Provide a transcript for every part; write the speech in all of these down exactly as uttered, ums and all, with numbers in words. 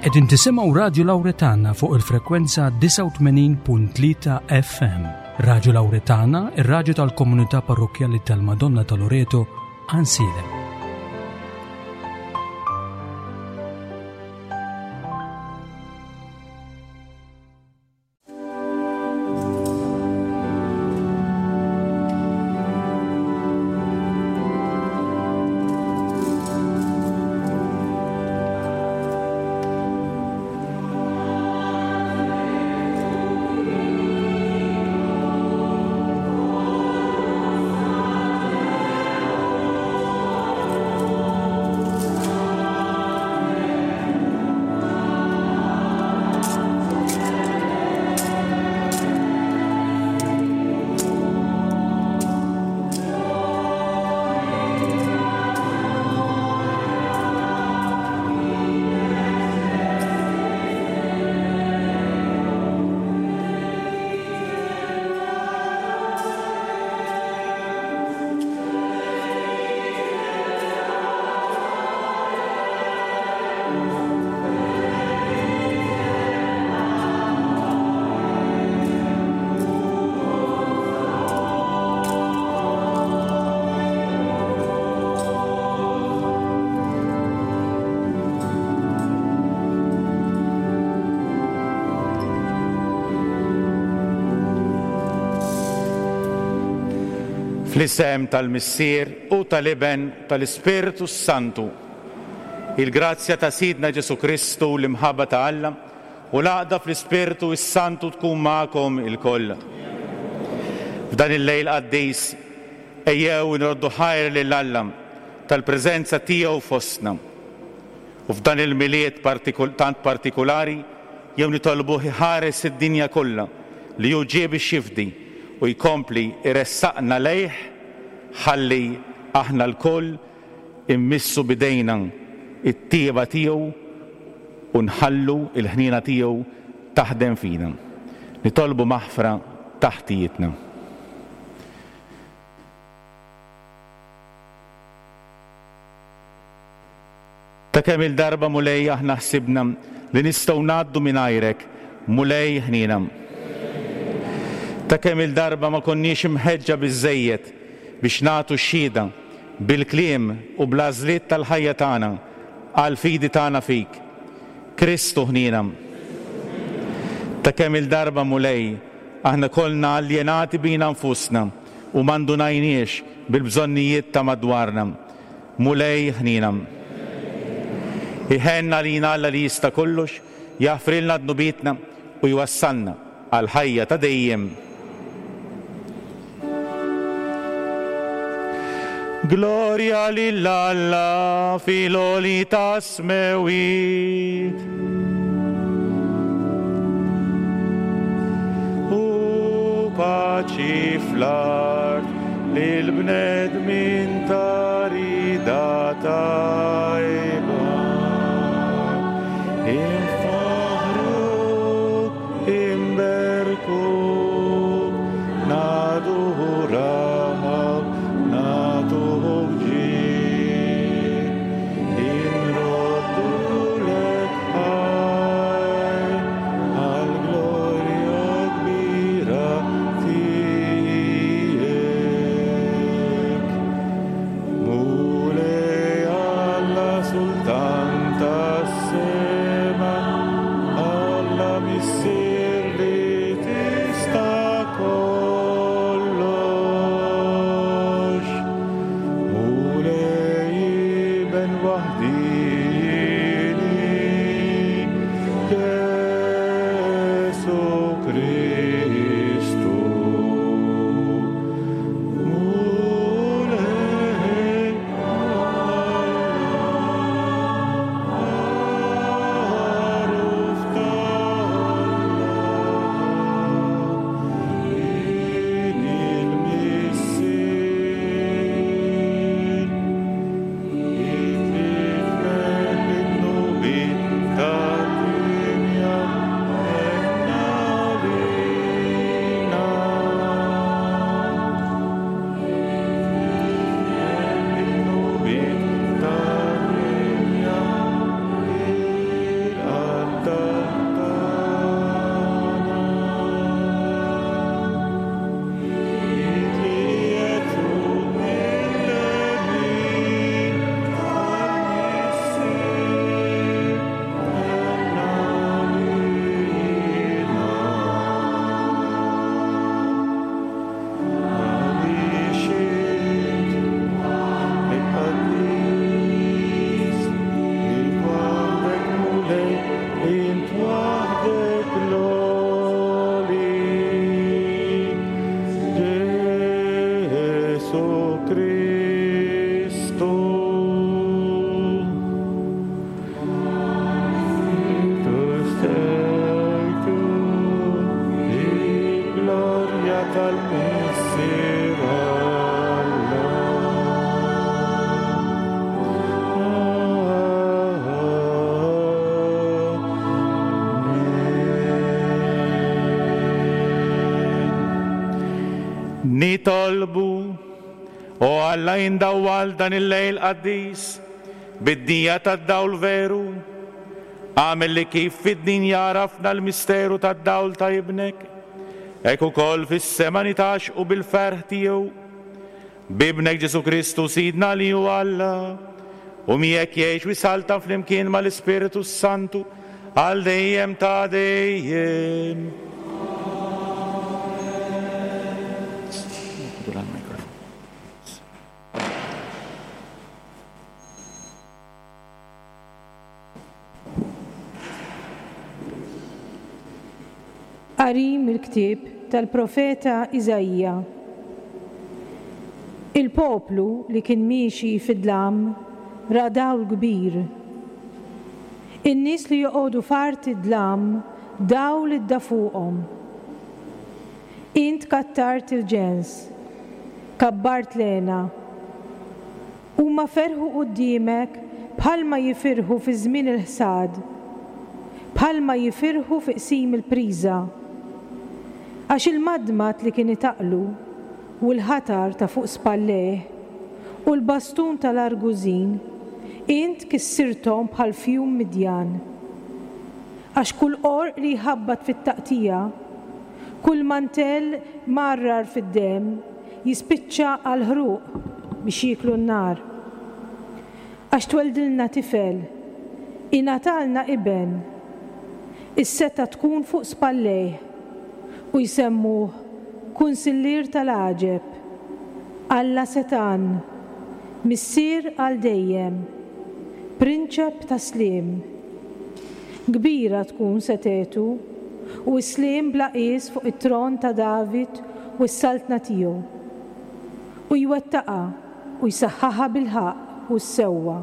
Qegħdin tisimgħu Radju Lawretana fuq il-frekwenza disgħa u tmenin punt tlieta F M. Radju Lawretana, ir-radju tal-komunità parrokkjali tal-Madonna ta' Loreto, Għajnsielem. Fl-isem tal-Missier u tal-Iben tal-Ispirtu Santu. Il-grazzja ta' Sidna Ġesu Kristu, l-imħabba ta' Alla u l-għaqda fl-Ispirtu s-Santu tkun magħkom ilkoll. F'dan il-lejl qaddis ejjew nroddu ħajr lil Alla tal-preżenza tiegħu fostna. U f'dan il-Milied partikul-, tant partikulari jew nitolbuh iħares id-dinja kollha li hu ġie biex jifdi u jkompli iressaqna lejh ħalli aħna lkoll immissu bidejna it-tieba tiegħu u nħallu il-ħniena tiegħu taħdem fina. Nitolbu maħfra taħtijietna. Ta' kemm il-darba Mulej aħna ħsibna li nistgħu ngħaddu mingħajrek, Mulej ħniena. Ta' kemm il-darba ma konniex imħeġġa biżżejjed biex nagħtu xhieda bil-kliem u bl-għażliet tal-ħajja tagħna għall-fidi tagħna fik. Kristu ħniena. Ta' kemm il-darba Mulej aħna kollna aljenati bina nfusna u ma ndunajniex bil-bżonnijiet ta' madwarna. Mulej ħniena. Iħenna lina Alla li jista' kollox, jaħfrilna dnubietna u jwassalna għal ħajja ta' dejjem. Gloria lil Alla fil-għoli tas-smewwiet. U paċi fl-art lil bnedmin ta' rida tajba. Infaħruk, imberkuk, nadurak, nagħtuk ġieħ. Inroddulek ħajr għall-glorja kbira tiegħek. Mulej Alla Sultan tas-sema, Alla Missier li tista' kollox. Mulej Iben waħdieni, Ġesu Kristu. Mulej Għaruf t'Alla, in il-Missier, Nitolbu, o Alla indawwal dan il-lejl qaddis bid-dija tad-dawl veru. Agħmel li kif fid-dinja għarafna l-misteru tad-dawl ta' ibnek, hekk ukoll fis-sema nitgħaxqu bil-ferħ tiegħu. B'ibnek Ġesù Kristu Sidna li hu Alla, u miegħek jgħix u jsaltan flimkien mal-Ispirtu Santu għal dejjem ta' dejjem. Qari mill-ktieb tal-profeta Iżaija. Il-poplu li kien miexi fid-dlam ra dawl kbir. In-nies li joqogħdu f'art id-dlam dawl idda fuqhom. Int kattart il-ġens, kabbart lena. Huma ferħu quddiemek bħalma jifirħu fi żmien il-ħsad, bħalma jifirħu fi qsim il-priża. Għax il-madmad li kien itaqlu u l-ħatar ta' fuq spallejh u l-bastun tal-argużin, int kissirthom bħal fjum Midjan. Għax kull qorq li jħabbat fit-taqtija, kull mantell marrar fid-demm, jispiċċa għal ħruq biex jieklu n-nar. Għax tweldilna tifel, ingħatalna iben, is-seta tkun fuq spallejh u jsemmuh Kunsillier tal-Għaġeb, Alla Setan, Missier għal dejjem, Prinċep ta' Sliem. Kbira tkun setetu u s-sliem bla qies fuq it-tron ta' David u s-saltna tiegħu. U jwettaqha u jsaħħaħa bil-ħaqq u s-sewwa,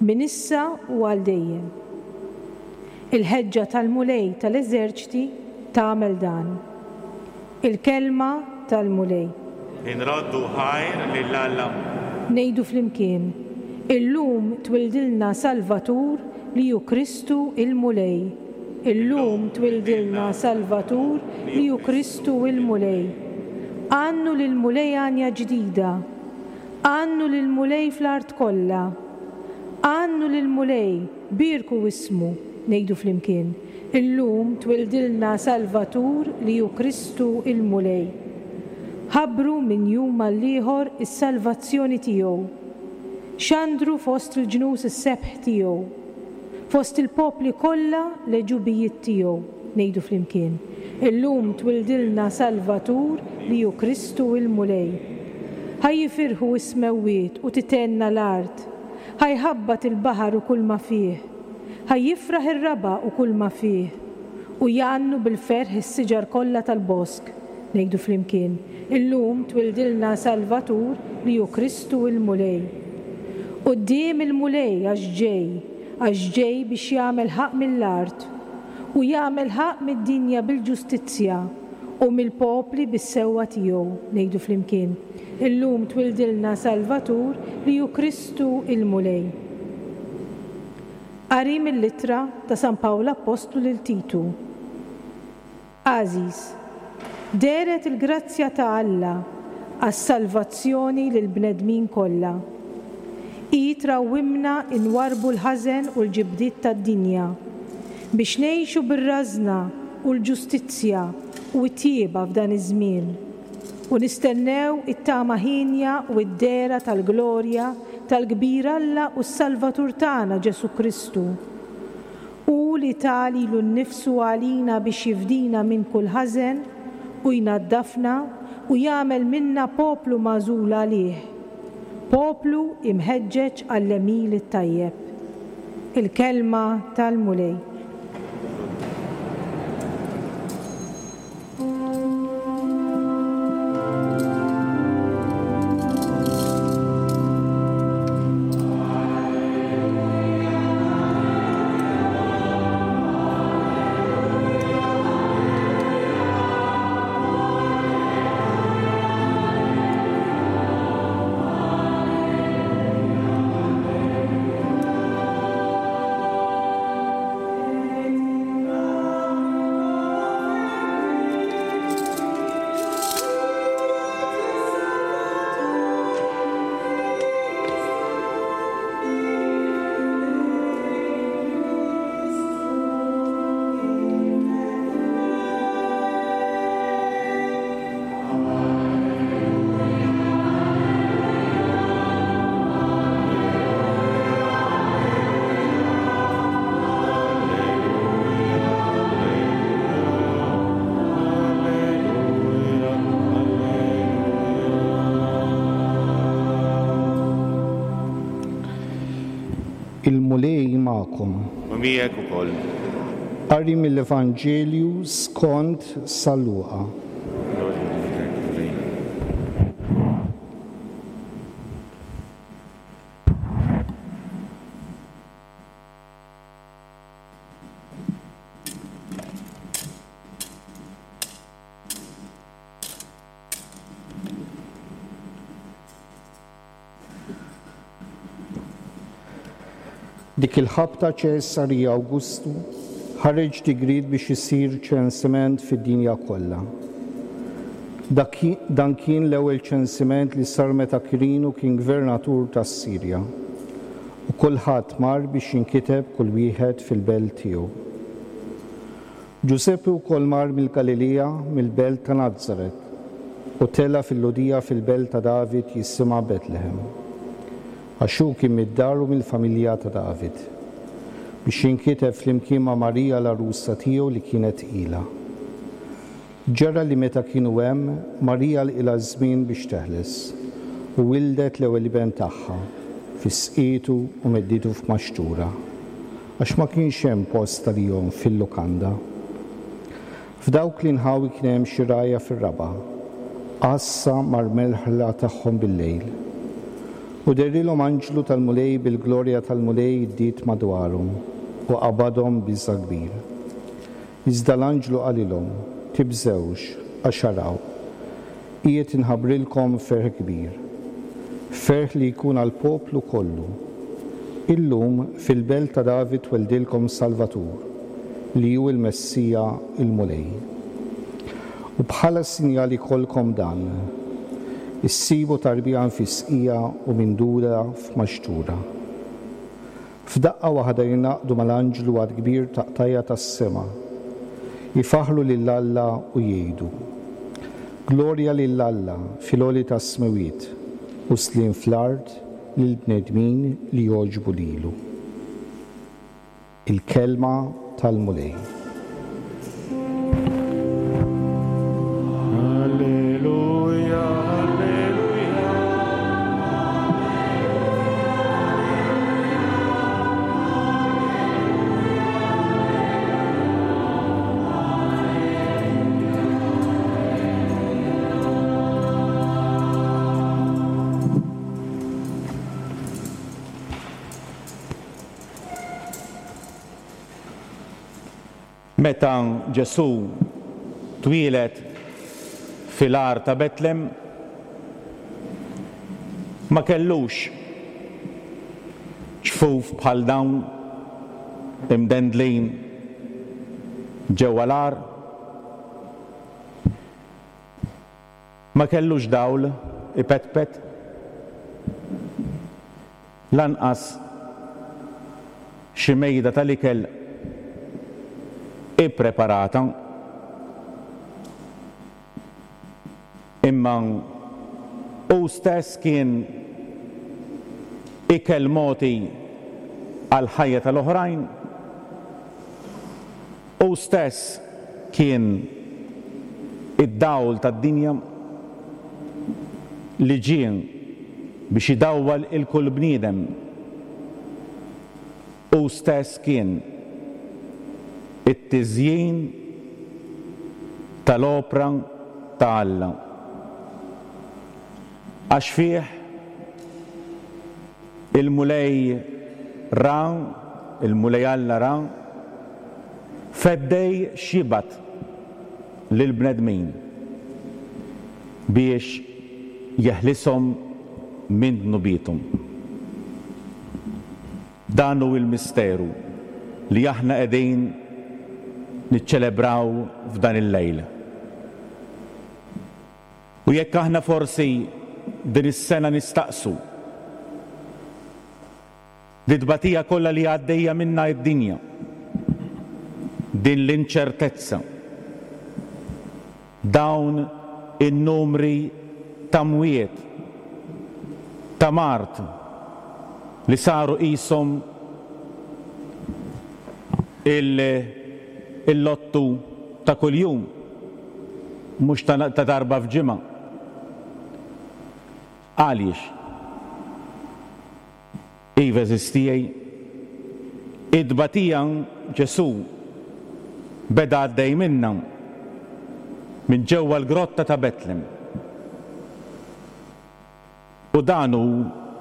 minn issa u għal dejjem. Il-ħeġġa tal-Mulej tal-eżerċti tagħmel dan. Il-kelma tal-Mulej. Inroddu ħajr lil Alla. Ngħidu flimkien, illum twildilna Salvatur li hu Kristu il-Mulej. Illum twildilna Salvatur li hu Kristu il-Mulej. Għannu lill-Mulej għanja ġdida. Għannu lill-Mulej fl-art kollha. Għannu lill-Mulej, bierku ismu, ngħidu flimkien. Illum twildilna Salvatur li hu Kristu il-Mulej. Ħabbru minn jum għall-ieħor is-salvazzjoni tiegħu. Xandru fost il-ġnus is-sebħ tiegħu. Fost il-popli kollha l-għeġubijiet tiegħu, ngħidu flimkien. Illum twildilna Salvatur li hu Kristu il-Mulej. Ħa jifirħu s-smewwiet u titenna l-art. Ħa jħabbat il-baħar u kull ma fih. Ħa jifraħ ir-raba' u kull ma fih. U jgħannu bil-ferħ is-siġar kollha tal-bosk, ngħidu flimkien. Illum twildilna Salvatur li hu Kristu il-Mulej. Quddiem il-Mulej għax ġej, għax ġej biex jagħmel ħaqq mill-art u jagħmel ħaqq mid-dinja bil-ġustizzja u mill-popli bis-sewwa tiegħu, ngħidu flimkien. Illum twildilna Salvatur li hu Kristu il-Mulej. Qari mill-ittra ta' San Pawl Appostlu lil Titu. Għażiż, dehret il-grazzja ta' Alla għas-salvazzjoni lill-bnedmin kollha. Hi trawwimna inwarrbu l-ħażen u l-ġibdiet tad-dinja biex ngħixu bir-rażna u l-ġustizzja u t-tjieba f'dan iż-żmien u nistennew it-tama ħienja u d-dehra tal-glorja tal-kbir Alla u s-Salvatur tagħna Ġesù Kristu. Hu li ta lilu nnifsu għalina biex jifdina minn kull ħażen u jnaddafna u jagħmel minna poplu magħżul għalih, poplu imħeġġeġ għall-għemil it-tajjeb. Il-kelma tal-Mulej. Il-Mulej magħkom. U miegħek ukoll. Qari mill-Evanġelju skont San Luqa. Dik il-ħabta Ċesari Awgustu ħareġ digriet biex isir ċensiment fid-dinja kollha. Dan kien l-ewwel ċensiment li sar meta Kirinu kien gvernatur tas-Sirja. U kulħadd mar biex jinkiteb kull wieħed fil-belt tiegħu. Ġużeppi wkoll mar mill-Galilija mill-belt ta' Nazaret u tela' fil-Lhudija fil-belt ta' David jisimha Betlehem, għax hu kien mid-dar u mill-familja ta' David, biex jinkiteb flimkien ma' Marija l-għarusa tiegħu li kienet tqila. Ġara li meta kienu hemm, Marija lqilha żmien biex teħles u wildet l-ewwel iben tagħha, fisqietu u medditu f'maxtura, għax ma kienx hemm post għalihom fil-lukanda. F'dawk l-inħawi kien hemm xi rgħajja fir-raba', għassa mar-merħla tagħhom bil-lejl. U dehrilhom anġlu tal-Mulej bil-glorja tal-Mulej iddiet madwarhom u qabadhom biża' kbir. Iżda l-anġlu qalilhom, tibżewx, għax araw, qiegħed inħabbrilkom ferħ kbir, ferħ li jkun għall-poplu kollu. Illum fil-belt ta' David tweldilkom Salvatur, li hu l-Messija il-Mulej. U bħala sinjal ikollkom dan, issibu tarbija nfisqija u mindura f'maxtura. F'daqqa waħda jingħaqdu mal-anġlu għad kbir ta' qtajja tas-sema, jifaħlu lil Alla u jgħidu: Glorja lil Alla fil-għoli tas-smewwiet u sliem fl-art lill-bnedmin li jogħġbu lilu. Il-kelma tal-Mulej. Alleluja, alleluja. Meta Ġesù twieled fil-għar ta' Betlem, ma kellux ċfuf bħal dawn imdendlin ġewwa l-għar, ma kellux dawl ipetpet, lanqas xi mejda tal-ikel ippreparata, imma hu stess kien ikel moti għall-ħajja tal-oħrajn, hu stess kien id-dawl tad-dinja li ġie biex idawwal il-kull bniedem, hu stess kien it-tiżjin tal-opra ta' Alla. Għax fih il-Mulej ra, il-Mulej Alla ra, feddej xibat lill-bnedmin biex jeħlishom minn dnubiethom. Dan hu l-misteru li aħna qegħdin niċċelebraw f'dan il-lejl. U jekk aħna forsi din is-sena nistaqsu li tbatija kollha li għaddejja minna id-dinja, din l-inċertezza, dawn in-numri ta' mwiet, ta' mard li saru qishom il-lottu ta' kuljum, mhux ta' darba f'ġimgħa. Għaliex? Iva, eżistijaj, Id-tbatija Ġesù beda għaddej minna minn ġewwa l-grotta ta' Betlem. U dan hu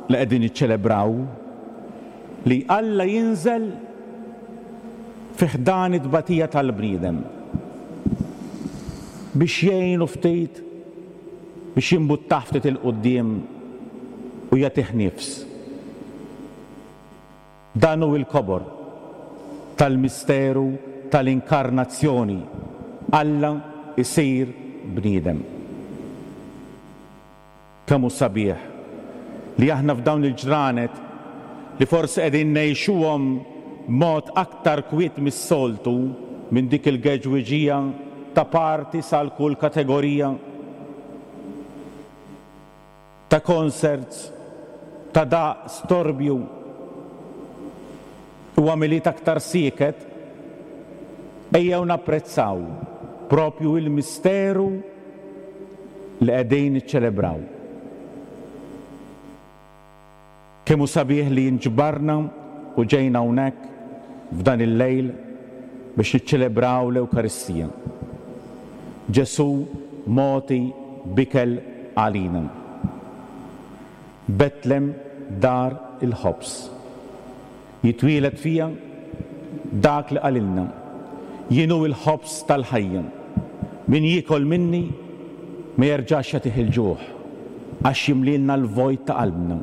li qegħdin niċċelebraw, li Alla jinżel fi ħdan it-tbatija tal-bniedem biex jgħinu ftit, biex jimbuttah ftit il-quddiem u jagħtih nifs. Dan hu l-kobor tal-misteru tal-inkarnazzjoni. Alla isir bniedem. Kemm hu sabiħ li aħna f'dawn il-ġranet li forsi qegħdin ngħixuhom b'mod aktar kwiet mis-soltu minn dik il-geġwiġija ta' parti sal kull kategorija, ta' concerts, ta' daq storbju, u għamiliet aktar sieket, ejjew napprezzaw propju il-misteru li qegħdin niċċelebraw. Kemm hu sabiħ li nġbarna u ġejna hawnhekk f'dan il-lejl biex niċċelebraw l-Ewkaristija. Ġesù mogħti b'ikel għalina. Betlem dar il-ħobż. Jitwieled fija dak li qalilna. Jien hu l-ħobż tal-ħajja. Min jiekol minni ma jerġax jagħtih il-ġuħ, għax jimlilna l-vojt ta' qalbna.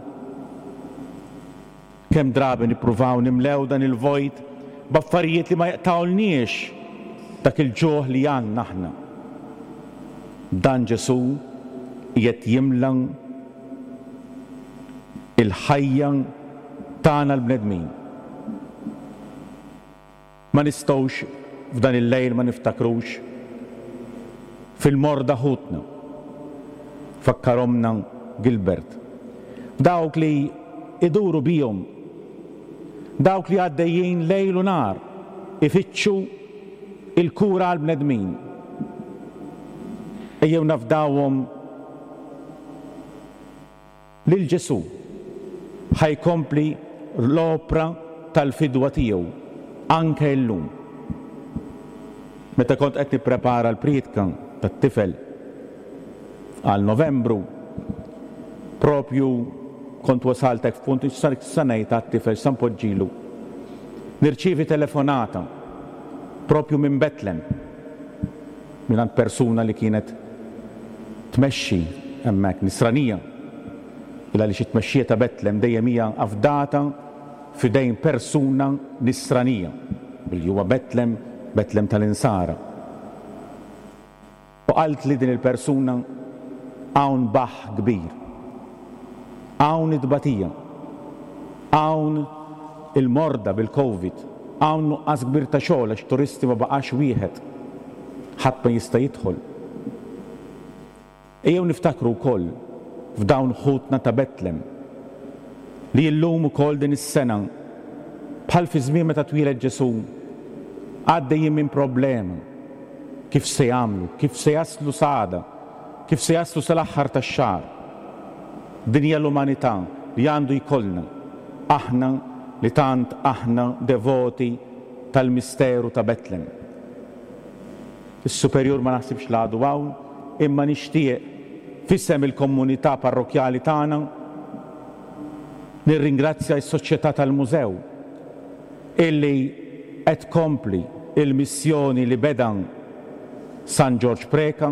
Kemm drabi nippruvaw nimlew dan il-vojt b'affarijiet li ma jaqtawlniex dak il-ġuħ li għandna aħna. Dan Ġesù qiegħed jimla il-ħajja tagħna l-bnedmin. Ma nistgħux f'dan il-lejl ma niftakrux fil-morda ħutna. Fakkaromna Gilbert. Dawk li iduru bihom, dawk li għaddejjin lejl u nar ifittxu il-kura għall-bnedmin. Ejjew nafdawhom lil Ġesù ħajkompli l-opra tal-fidwa tiegħu anke llum. Meta kont qed nipprepara l-prietka tat-tifel għal Novembru, propju kont wasaltek f'punt sa ngħid għat-tifel sa npoġġilu. Nirċievi telefonata propju minn Betlem, minn persuna li kienet tmexxi hemmhekk, nisranija. Illa li xi tmexxija ta' Betlem dejjem hija afdata f'idejn persuna nisranija, billi huwa Betlem, Betlem tal-Insara. U qalt li din il-persuna hawn baħ kbir, hawn it-tbatija, hawn il-morda bil-Covid, hawn nuqqas kbir ta' xogħol għax turisti ma baqax wieħed, ħadd ma jista' jidħol. Ejjew niftakru wkoll f'dawn ħutna ta' Betlem li llum ukoll din is-sena bħal fi żmien meta twieled Ġesù għaddejjin minn problema. Kif se jagħmlu, kif se jaslu s'għada, kif se jaslu sal-aħħar tax-xahar. Din hija l-umanità li għandu jkollna aħna li tant aħna devoti tal-misteru ta' Betlem. Is-superjur ma naħsibx li għadu hawn, imma nixtieq f'isem il-komunità parrokjali tagħna nirringrazzja s-Soċjetà tal-Mużew illi qed tkompli il-missjoni li beda San Ġorġ Preca,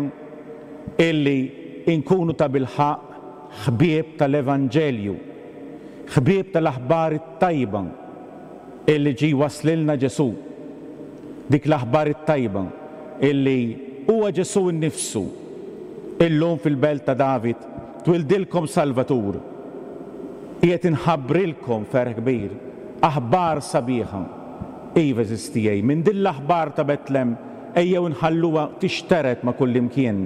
illi inkunu ta' bilħaqq ħbieb tal-Evanġelju, ħbieb tal-aħbar it-tajba illi ġie waslilna Ġesù. Dik l-aħbar it-tajba illi huwa Ġesù nnifsu. Illum fil-belt ta' David twildilkom Salvatur. Qiegħed inħabbrilkom ferħ kbir, aħbar sabiħa. Iva eżistijej, minn din l-aħbar ta' Betlem ejjew nħalluha tixteret ma' kullimkien.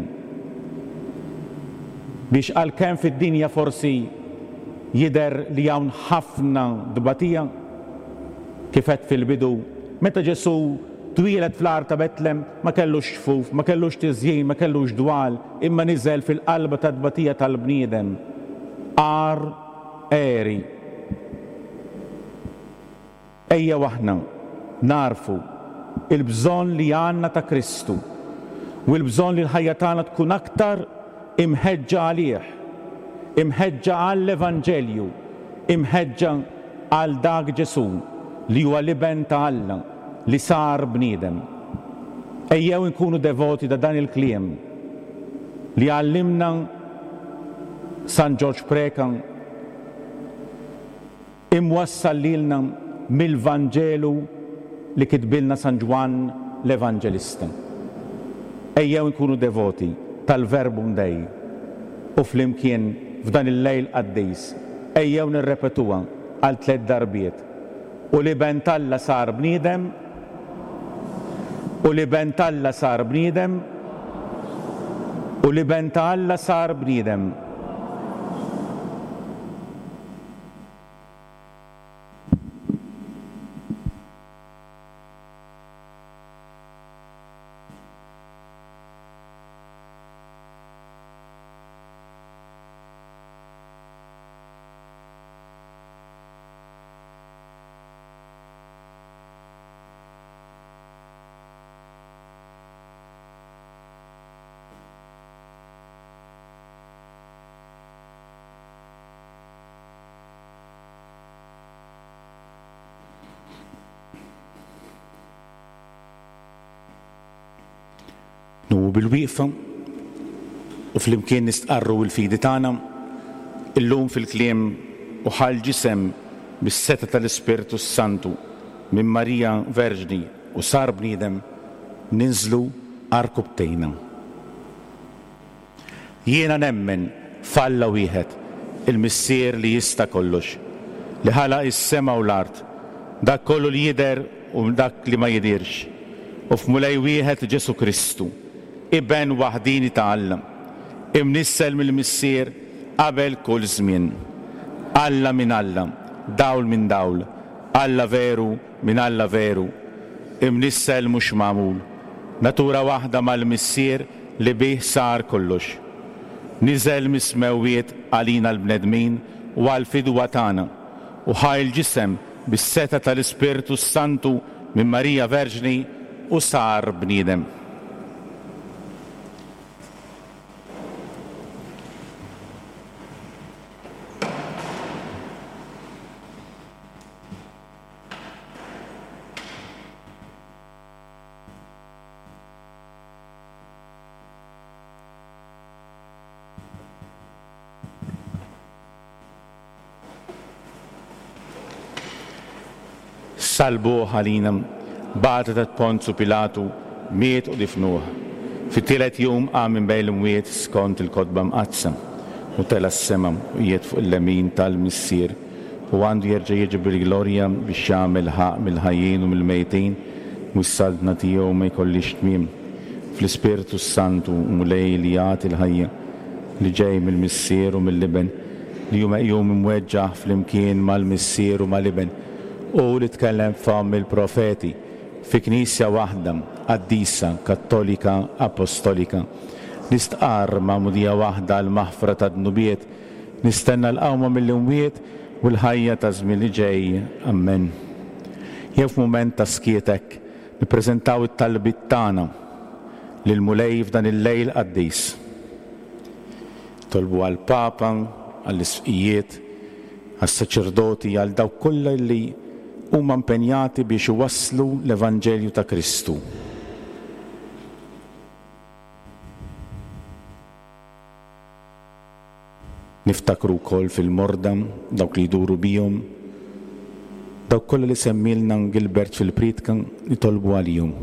Biex għalkemm fid-dinja forsi jidher li hawn ħafna tbatija, kif għedt fil-bidu, meta Ġesù twieled fl-għar ta' Betlem ma kellux xfuf, ma kellux tiżjin, ma kellux dwal, imma niżel fil-qalba ta' tbatija tal-bniedem. Għar għeri. Ejjew aħna nagħrfu il-bżonn li għandna ta' Kristu u l-bżonn li l-ħajja tagħna tkun aktar imħeġġa għalih, imħeġġa għall-Evanġelju, imħeġġa għal dak Ġesù li huwa l-Iben ta' Alla li sar bniedem. Ejjew inkunu devoti ta' dan il-kliem li għallimna San Ġorġ Preca, imwassal lilna mill-Vanġelu li kitbilna San Ġwann l-Evanġelista. Ejjew inkunu devoti tal-Verbum Dei u flimkien f'dan il-lejl qaddis ejjew nirrepetuha għal tliet darbiet. U l-Iben t'Alla sar bniedem, u l-Iben t'Alla sar bniedem, u l-Iben ta' Alla sar bniedem. Numu bil-wieqfa u flimkien nistqarru l-fidi tagħna illum fil-kliem u ħa l-ġisem bis-setgħa tal-Ispirtu Santu minn Marija Verġni u sar bniedem, ninżlu għarkupptejna. Jiena nemmen f'Alla wieħed, il-Missier li jista' kollox, li ħalaq is-sema u l-art, dak kollu li jidher u dak li ma jidirx, u f'Mulej wieħed Ġesù Kristu, Iben waħdini ta' Alla, imnissel mill-Missier qabel kull żmien. Alla minn Alla, dawl minn dawl, Alla veru minn Alla veru, imnissel mhux magħmul, natura waħda mal-Missier li bih sar kollox. Niżel mis-smewwiet għalina l-bnedmin u għall-fidwa tagħna, u ħa l-ġisem bis-setgħa tal-Ispirtu Santu minn Marija Verġni u sar bniedem. Salbuh għalina, bagħtet għand Ponzu Pilatu, miet u difnuh. Fit-tielet jum qam minn bejn l-imwiet skont il-kotba mqaddsa, u tela' s-sema u qiegħed fuq il-lemin tal-Missier, u għandu jerġa' jiġi bil-glorja biex jagħmel ħaqq mill-ħajjin u mill-mejtin, u s-saltna tiegħu ma jkollix tmiem. Fl-Ispirtu Santu, Mulej li jagħti l-ħajja, li ġej mill-Missier u mill-Iben, li hu meqjum imweġġaħ flimkien mal-Missier u mal-Iben, u li tkellem f'fomm il-profeti, fi Knisja waħda, qaddisa, kattolika, apostolika. Nistqarr magħmudija waħda għall-maħfra ta' dnubiet, nistenna l-qawma mill-imwiet u l-ħajja ta' żmien li ġej. Amen. Jew f'mument ta' skiet hekk nippreżentaw it-talbiet tagħna lil Mulej f'dan il-lejl qaddis. Tolbu għall-Papa, għall-isqfijiet, għas-saċerdoti, għal dawk kollha li huma impenjati biex iwasslu l-Evanġelju ta' Kristu. Niftakru wkoll fil-morda, dawk li jduru bihom, dawk kollha li semmilna Gilbert fil-priedka, nitolbu għalihom.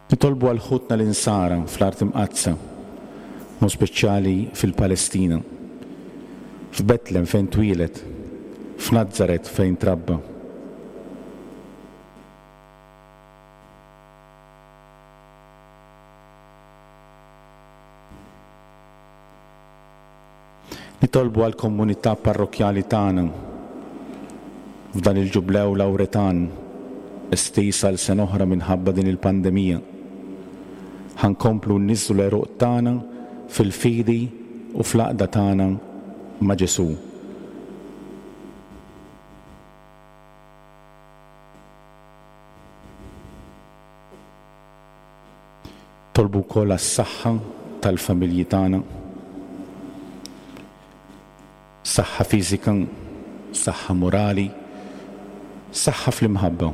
Nitolbu għal ħutna l-insara fl-art imqaddsa, mod speċjali fil-Palestina, f'Betlem fejn twieled, f'Nazzaret fejn trabba. Nitolbu għal komunità parrokjali tagħna f'dan il-ġublew Lawretan, estiż għal sena oħra minħabba din il-pandemija. Ħa nkomplu nniżżlu l-għeruq tagħna fil-fidi u fl-għaqda tagħna ma' Ġesù. Tolbu wkoll għas-saħħa tal-familji tagħna, saħħa fiżika, saħħa morali, saħħa fl-imħabba.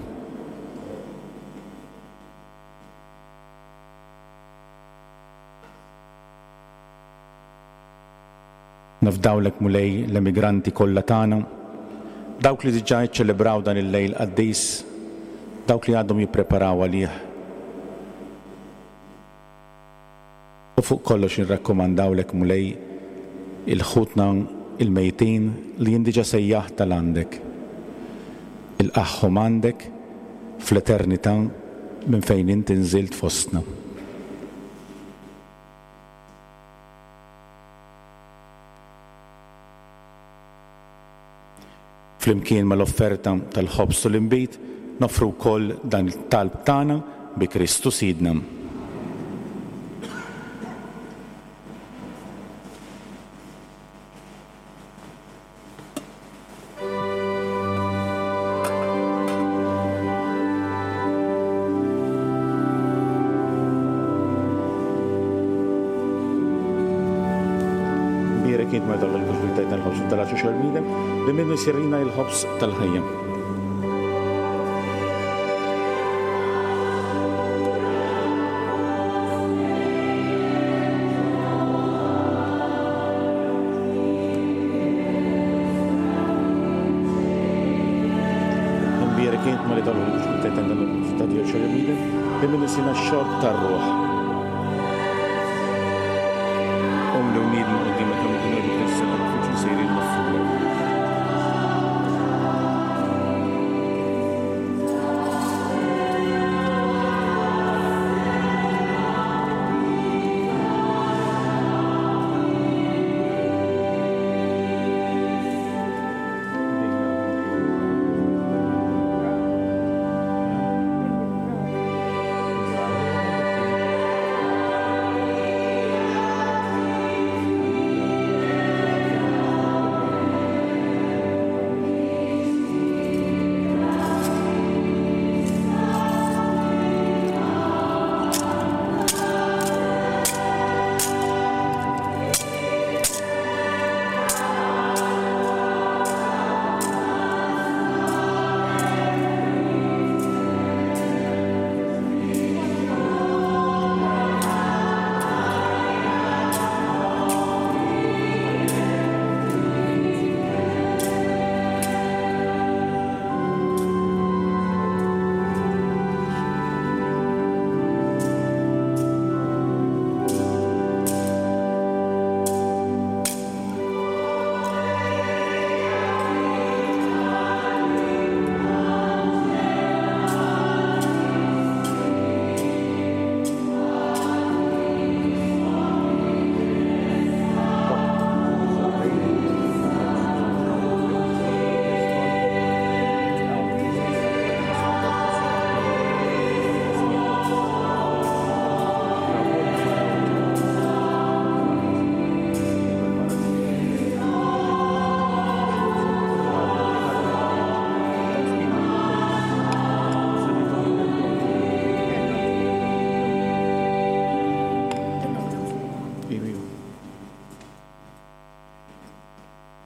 Nafdawlek Mulej l-emigranti kollha tagħna, dawk li diġà jiċċelebraw dan il-lejl qaddis, dawk li għadhom jippreparaw għalih. U fuq kollox nirrakkomandawlek Mulej il-ħutna il-mejtin li jindiġa sejjaħ tal-għandek. Il-qaħħom għandek fl-eternità minn fejn inti nżilt fostna. Flimkien mal-offerta tal-ħobż u l-inbid noffru wkoll dan it-talb tagħna bi Kristu Sidna. Bierek int meta l-ħobż tal-ħobż tal-għaxu xormidem li minnu jsirina il-ħobż tal-ħajja. Imbierek int ma li tal-ħobż tal-ħobż xormidem li minnu jsirina x-xorb tar-ruħ. Umli u nidmu qudiemek kemm ikun għadu tas-sagrifiċċju sejrin maffura.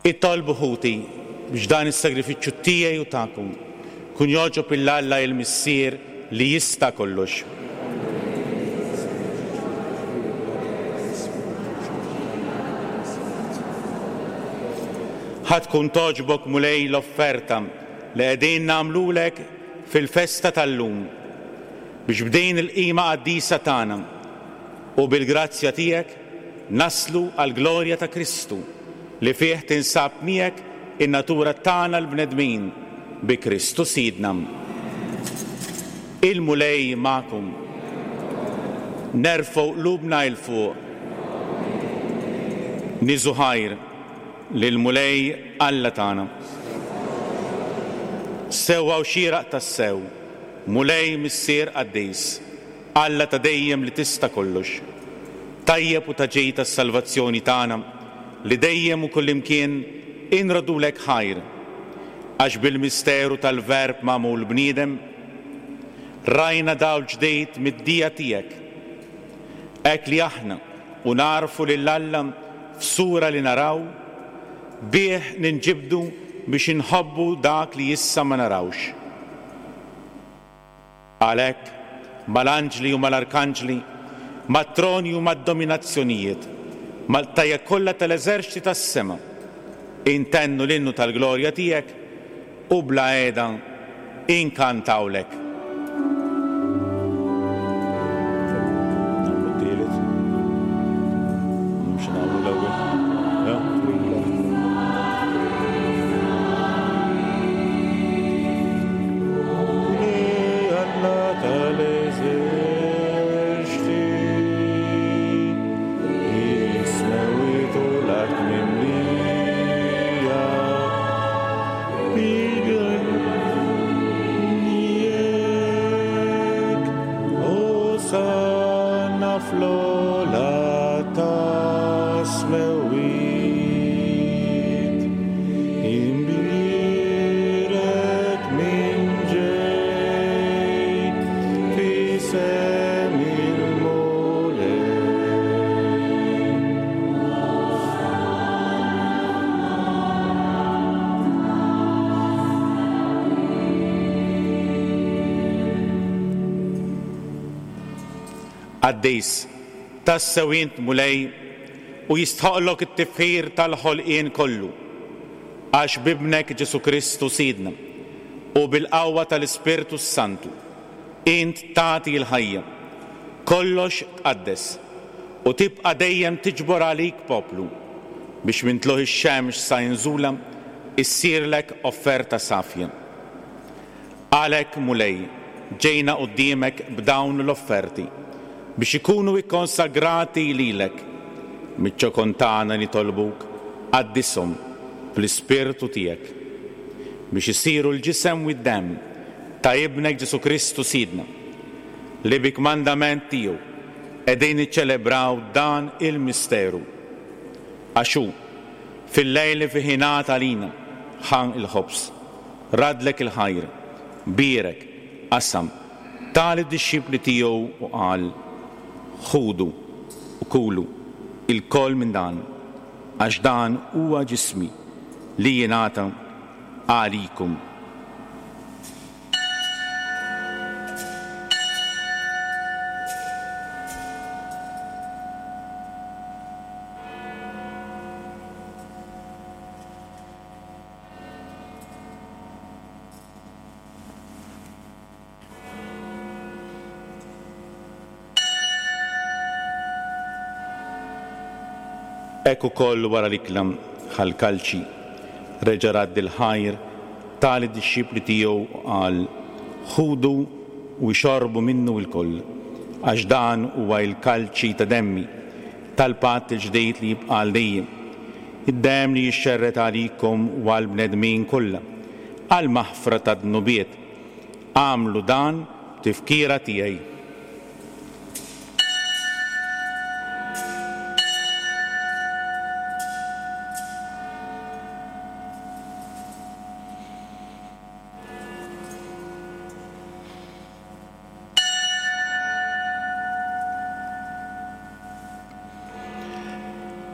Itolbu ħuti biex dan is-sagrifiċċju tiegħi u tagħkom kun jogħġob lil Alla il-Missier li jista' kollox. Ħa tkun togħġbok Mulej l-offerta li qegħdin nagħmlulek fil-festa tal-lum biex b'din il-qima qaddisa tagħna u bil-grazzja tiegħek naslu għall-glorja ta' Kristu li fih tinsab miegħek in-natura tagħna l-bnedmin bi Kristu Sidna. Il-Mulej magħkom. Nerfgħu qlubna 'l fuq. Niżu ħajr lill-Mulej Alla tagħna. Sewwa u xieraq tassew, Mulej Missier Qaddis, Alla ta' dejjem li tista' kollox, tajjeb u ta' ġej tas-salvazzjoni tagħna li dejjem u kullimkien inrodulek ħajr, għax bil-misteru tal-Verb magħmul bniedem rajna dawl ġdid mid-dija tiegħek, hekk li aħna u narfu lil Alla f'sura li naraw, bih ninġibdu biex inħobbu dak li issa ma narawx. Għalhekk, mal-anġli u mal-arkanġli, mat-troni u mad-dominazzjonijiet, mal-tajja kollha tal-eżerċti tas-sema, intennu l-innu tal-glorja tiegħek u bla qiegħda inkantawlek. Qaddis, tassew int Mulej u jistħoqlok it-tifħir tal-ħolqien kollu, għax b'ibnek Ġesu Kristu Sidna u bil-qawwa tal-Ispirtu Santu int tagħti l-ħajja, kollox tqaddes u tibqa' dejjem tiġbor għalik poplu biex minn tluħ ix-xemx sa inżula issirlek offerta safja. Għalhekk Mulej ġejna quddiemek b'dawn l-offerti biex ikunu ikkonsagrati lilek. Miċ-ċokon tagħna nitolbuk qaddishom bl-Ispirtu tiegħek biex isiru l-ġisem u d-demm ta' ibnek Ġesu Kristu Sidna, li bi kmandament tiegħu qegħdin niċċelebraw dan il-misteru. Għax hu fil-lejl li fih ingħata lina ħa il-ħobż, radlek il-ħajr, bierek, qasam, ta lid-dixxipli tiegħu u qal: Ħudu u kulu ilkoll minn dan, għax dan huwa ġismi li jingħata għalikum. Hekk ukoll wara l-ikla ħa l-kalċi, reġa' radd il-ħajr, ta lid-dixxipli tiegħu u qal: Ħudu u xorbu minnu lkoll, għax dan huwa l-kalċi ta' demmi, tal-patt il-ġdid li jibqa' għal dejjem, id-demm li jixxerred għalikom u għall-bnedmin kollha, għall-maħfra tad-dnubiet. Agħmlu dan b'tifkira tiegħi.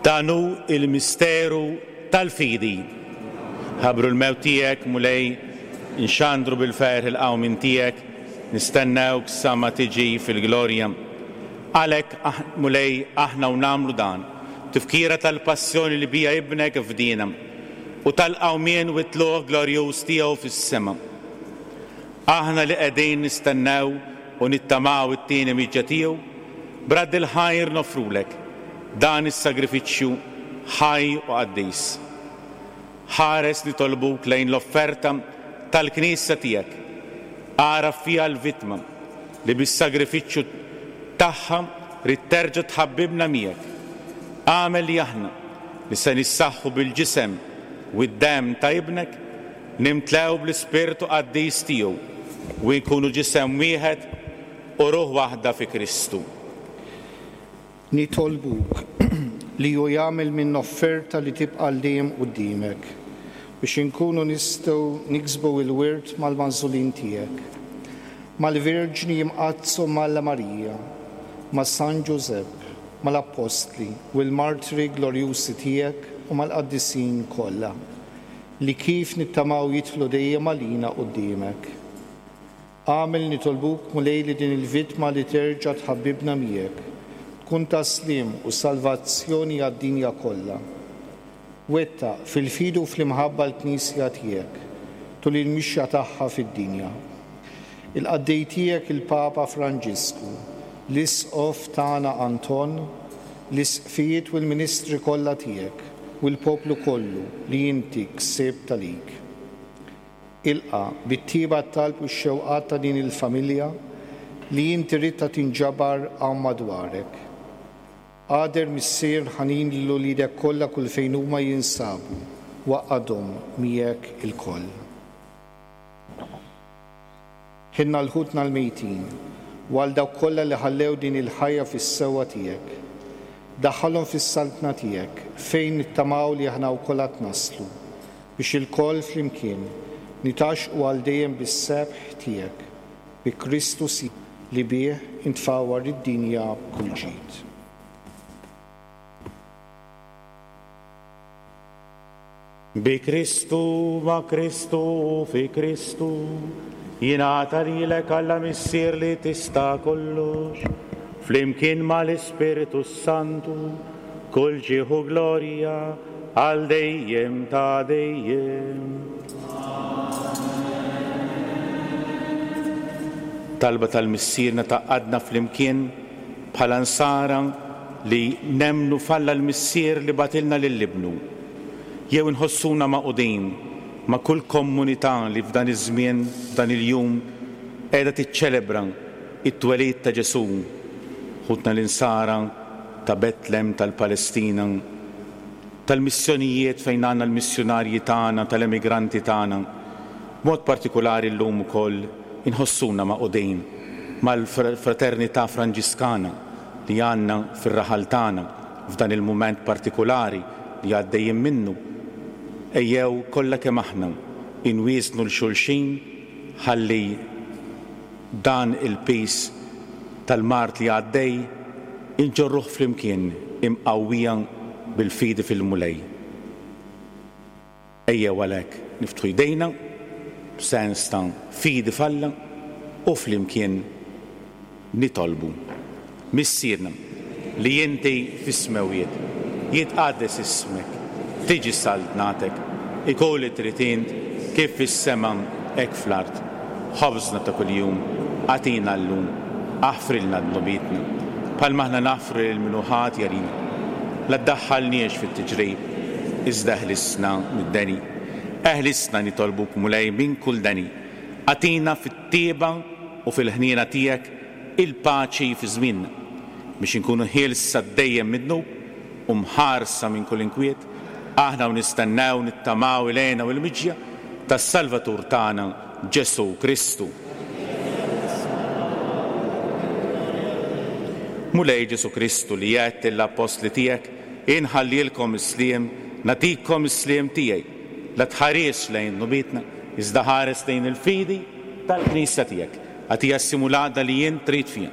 Dan hu il-misteru tal-fidi. Ħabru l-mewt tiegħek, Mulej, inxandru bil-ferħ il-qawmien tiegħek, nistennewk sa ma tiġi fil-glorja. Għalhekk, Mulej, aħna u nagħmlu dan, tifkira tal-passjoni li bija ibnek fdina u tal-qawmien u t-tluq glorjuż tiegħu fis-sema. Aħna li qegħdin nistennew u nittamaw it-tieni miġja tiegħu, brad il-ħajr nofrulek dan is-sagrifiċċju ħaj u qaddis. Ħares nitolbuk lejn l-offerta tal-Knisja tiegħek. Agħraf fiha l-vittma li bis-sagrifiċċju tagħha rid terġa' tħabbibna miegħek. Agħmel li aħna li se nissaħħu bil-ġisem u d-demm ta' ibnek nimtlew bl-Ispirtu Qaddis tiegħu u nkunu ġisem wieħed u ruħ waħda fi Kristu. Nitolbuk li hu jagħmel minn offerta li tibqa' għal dejjem quddiemek biex inkunu nistgħu niksbu il-wirt mal-magħżulin tiegħek, mal-Verġni Imqaddsa Malla Marija, ma' San Ġużepp, mal-Appostli u l-martri glorjusi tiegħek u mal-qaddisin kollha, li kif nittamaw jidħlu dejjem għalina quddiemek. Għamel nitolbuk Mulej li din il-vittma li terġa' tħabbibna miegħek, tkun ta' sliem u salvazzjoni għad-dinja kollha. Wettaq fil-fidu u fl-imħabba l-Knisja tiegħek tul il-mixja tagħha fid-dinja. Il-qaddej tiegħek il-Papa Franġisku, l-Isqof tagħna Anton, l-isqfijiet u l-ministri kollha tiegħek u l-poplu kollu li inti ksibt għalik. Ilqa' bit-tieba t-talb u x-xewqat ta' din il-familja li inti ridtha tinġabar hawn madwarek. Għader Missier ħanin lil uliedek kollha kull fejn huma jinsabu, waqgħadhom miegħek ilkoll. Ħinna l-ħutna l-mejtin u għal dawk kollha li ħallew din il-ħajja fis-sewwa tiegħek. Daħħalhom fis-saltna tiegħek fejn nittamaw li aħna wkoll għad naslu biex ilkoll flimkien nitaxqu għal dejjem bis-sebħ tiegħek bi Kristu li bih intfawwar id-dinja b'kull ġid. Bi Kristu, ma' Kristu, fi Kristu, jingħata lilek Alla Missier li tista' kollox, flimkien mal-Ispirtu Santu, kull ġieħ u glorja għal dejjem ta' dejjem. Talba tal-Missierna tgħaqqadna flimkien bħala nsara li nemmnu f'Alla l-Missier li bagħtilna lil Ibnu. Jew inħossuna magħqudin ma' kull komunità li f'dan iż-żmien, f'dan il-jum, qiegħda tiċċelebra it-twelid ta' Ġesù, ħutna l-insara ta' Betlem tal-Palestina, tal-missjonijiet fejn għandna l-missjunarji tagħna, tal-emigranti tagħna. B'mod partikolari llum ukoll inħossuna magħqudin mal-fraternità Franġiskana li għandna fir-raħal tagħna f'dan il-mument partikolari li għaddejjin minnu. Ejjew kollha kemm aħna inwiesnu l xulxin ħalli dan il-pis tal-mard li għaddej inġorruh flimkien imqawwija bil-fidi fil-Mulej. Ejjew għalhekk niftħu jdejna b'sens ta' fidi f'Alla u flimkien nitolbu. Missierna li inti fis-smewwiet, jitqaddes ismek, tiġi saltnatek, ikun li trid int kif fis-sema hekk fl-art. Ħobżna ta' kuljum agħtina llum, aħfrilna dnubietna, bħalma aħna naħfru lil min hu ħati għalina. La ddaħħalniex fit-tiġrib, iżda ħlisna mid-deni. Eħlisna nitolbuk Mulej minn kull deni. Agħtina fit-tieba u fil-ħniena tiegħek il-paċi fi żmienna, biex inkunu ħielsa dejjem mid-dnub u mħarsa minn kull inkwiet, aħna u nistennew nittamaw ilejna u l-miġja tas-Salvatur tagħna Ġesù Kristu. Mulej Ġesù Kristu li għedt lill-appostli tiegħek, inħallilkom is-sliem, nagħtikom is-sliem tiegħi. La tħares lejn dnubietna, iżda ħares lejn il-fidi tal-Knisja tiegħek. Agħtiha s-simulata li jien trid fiha,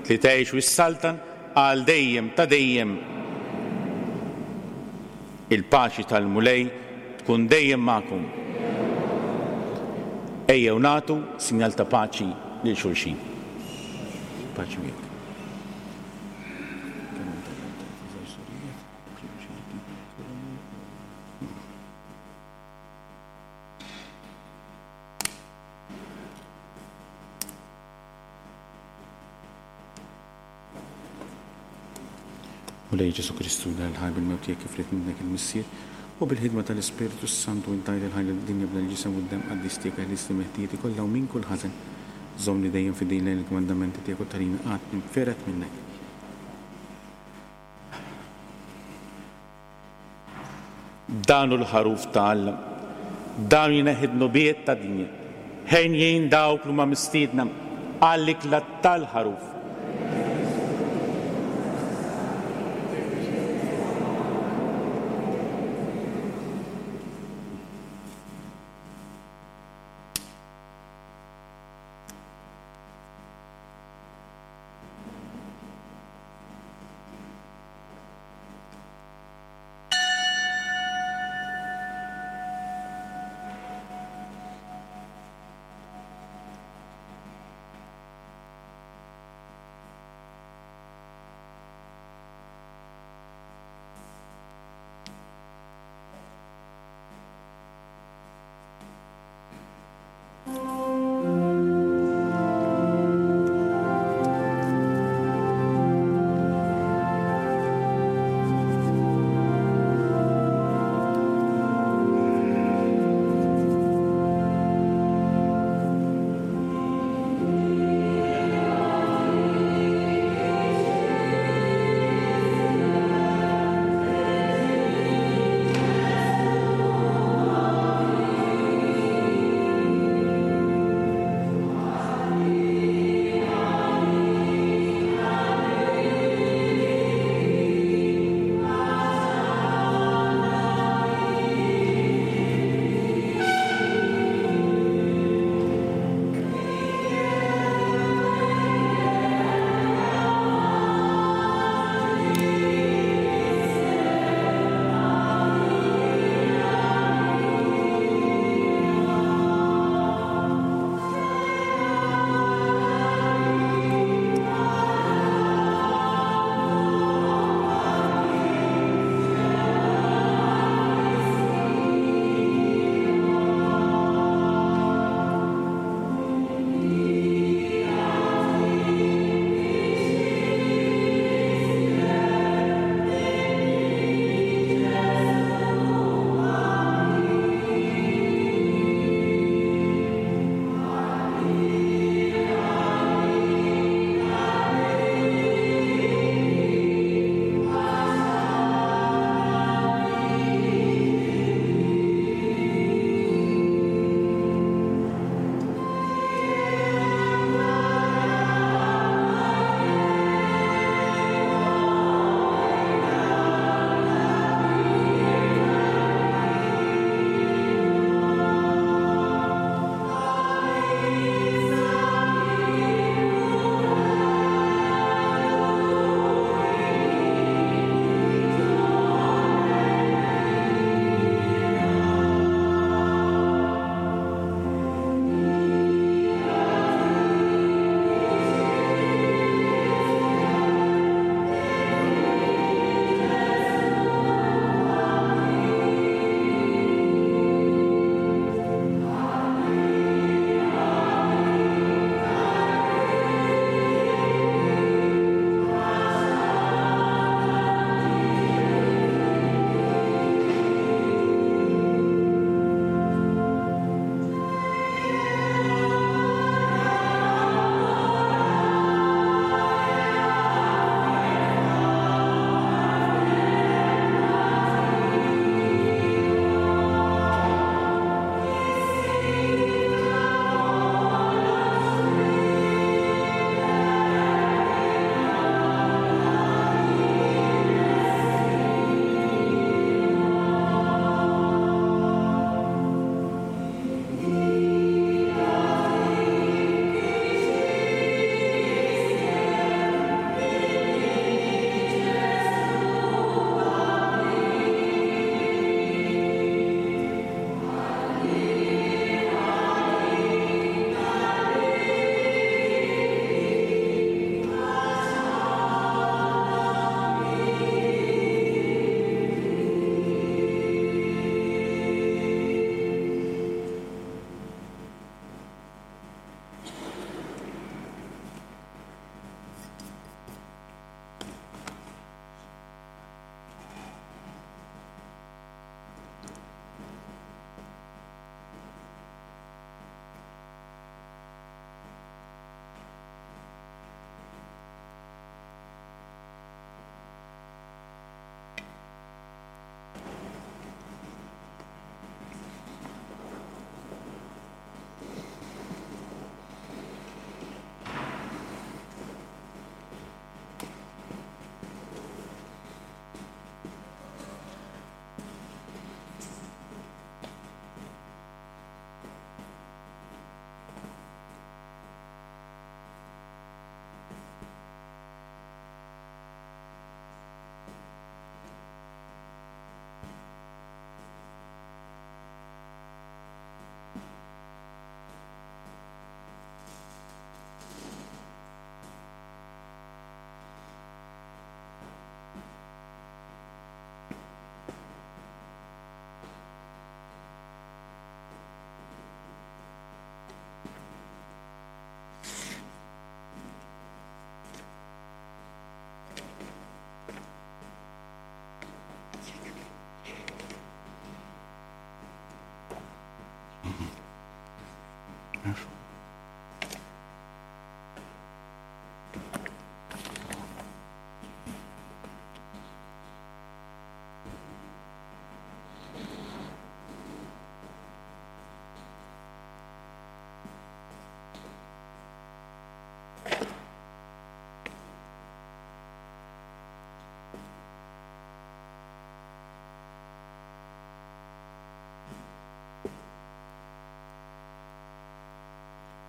li tgħix u s-saltan għal dejjem ta' dejjem. Il-paċi tal-Mulej tkun dejjem magħkom. Ejjew nagħtu sinjal ta' paċi lil xulxin. Paċi miegħek. Mulej Ġesù Kristu, dan il-ħaj bil-mewt tiegħek kif ried minnek il-Missier, u bil-ħidma tal-Ispirtu Santu intajt il-ħaj lid-dinja b'dan il-ġisem u d-demm qaddis tiegħek eħlisni mill-ħtijieti kollha u minn kull ħażen. Żommni dejjem fidil lejn il-kmandamenti tiegħek u tagħlini qatt ninfered minnek. Dan hu l-ħaruf ta' Alla, dan jneħħi d-dnubiet tad-dinja. Henjin dawk li huma mistiedna għall-ikla tal-ħaruf.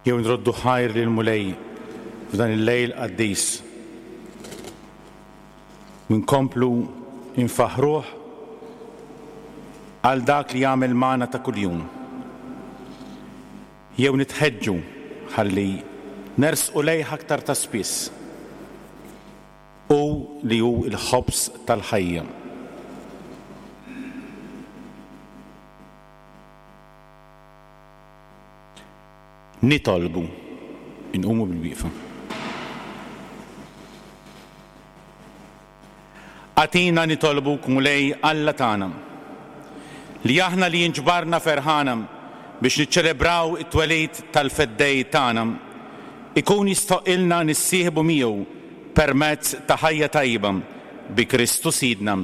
Jew nroddu ħajr lill-Mulej f'dan il-lejl qaddis. Nkomplu infaħruh għal dak li jagħmel magħna ta' kuljum. Jew nitħeġġu ħalli nersqu lejh aktar ta' spiss. U li hu l-ħobż tal-ħajja. Nitolbu, inqumu bil-wieqfa. Agħtina nitolbuk, Mulej Alla tagħna, li aħna li inġbarna ferħana biex niċċelebraw it-twelid tal-Feddej tagħna, ikun jistħoqqilna nissieħbu miegħu permezz ta' ħajja tajba bi Kristu Sidna.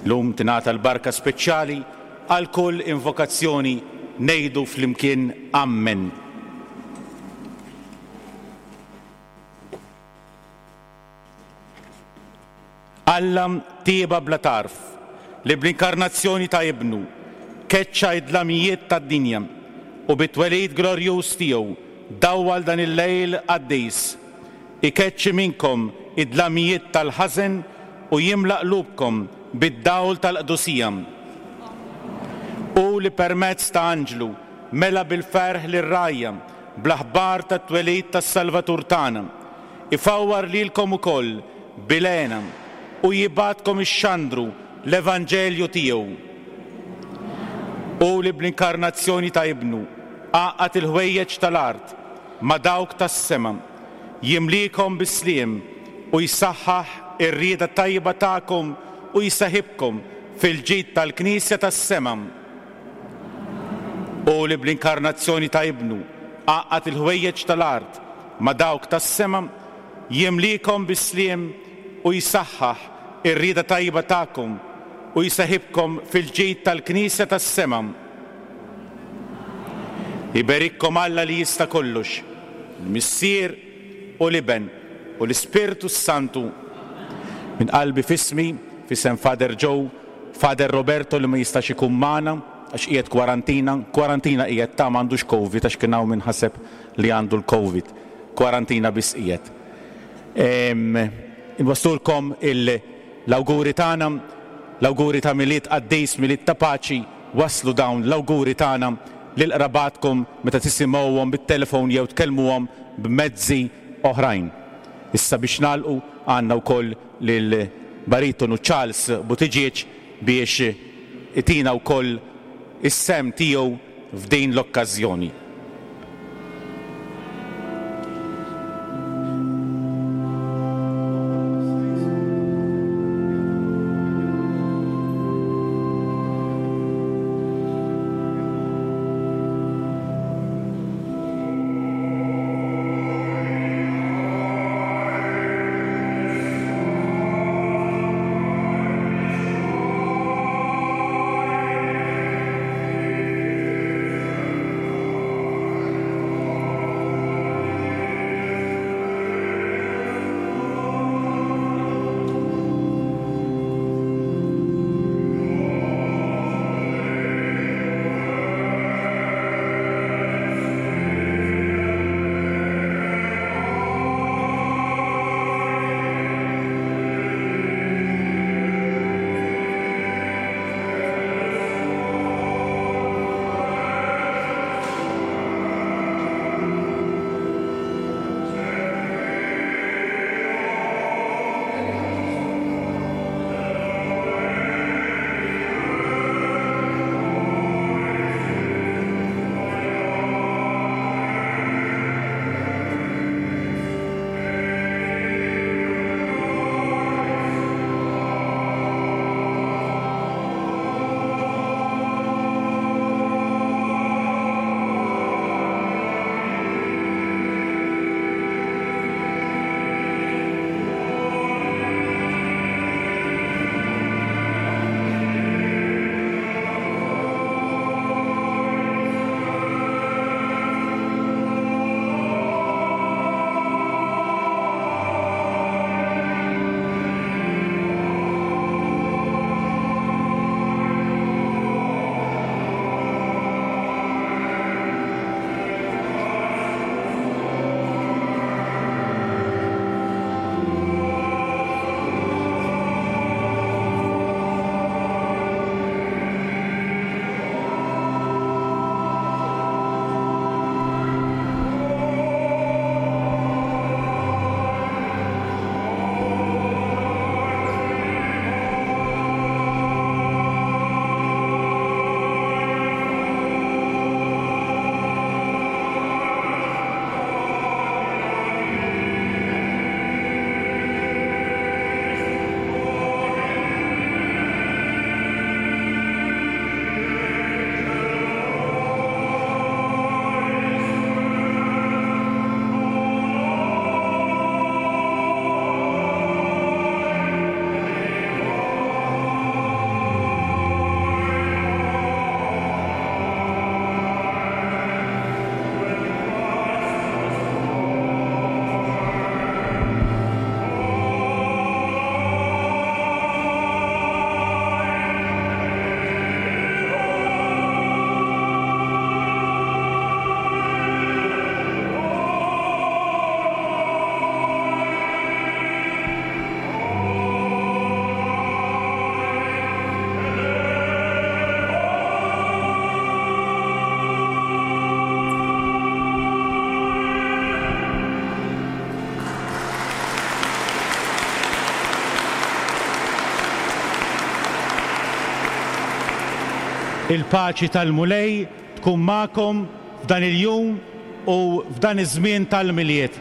Lum tingħata l-barka speċjali għal kull invokazzjoni. Ngħidu flimkien Amen. Alla tieba bla tarf li bl-inkarnazzjoni ta' Ibnu keċċa id-dlamijiet tad-dinja u bit-twelid glorjuż tiegħu dawwal dan il-lejl qaddis. Ikeċċi minnkom id-dlamijiet tal-ħażen u jimla qlubkom bid-dawl tal-qdusija. U li permezz ta' anġlu mela bil-ferħ lir-rgħajja bl-aħbar tat-twelid tas-Salvatur tagħna, ifawwar lilkom ukoll bil-hena u jibgħatkom ixxandru l-Evanġelju tiegħu. U li bl-inkarnazzjoni ta' Ibnu għaqqad il-ħwejjeġ tal-art ma' dawk tas-sema, jimlikom bis-sliem u jsaħħaħ ir-rieda tajba tagħkom u jsaħibkom fil-ġid tal-Knisja tas-sema. U li bl-inkarnazzjoni ta' Ibnu għaqqad il-ħwejjeġ tal-art ma' dawk tas-sema, jimlikom bis-sliem u jsaħħaħ ir-rieda tajba tagħkom u jsaħibkom fil-ġid tal-Knisja tas-sema. Iberikkom Alla li jista' kollox, il-Missier u l-Iben u l-Ispirtu s-Santu. Minn qalbi f'ismi, f'isem Father Joe, Father Roberto li ma jistax ikun magħna għax qiegħed kwarantina, kwarantina qiegħed ta' m'għandux Covid għax kien hawn min ħaseb li għandu l-Covid. Kwarantina biss qiegħed. Inwasslulkom l-awguri tagħna, l-awguri ta' Milied qaddis, Milied ta' paċi, waslu dawn l-awguri tagħna lil qrabatkom meta tisimgħuhom bit-telefon jew tkellmuhom b'mezzi oħrajn. Issa biex nagħlqu għandna wkoll lil baritonu Charles Buttigieg biex itina wkoll is-sem tiegħu f'din l-okkażjoni. Il-paċi tal-Mulej tkun magħkom f'dan il-jum u f'dan iż-żmien tal-Milied.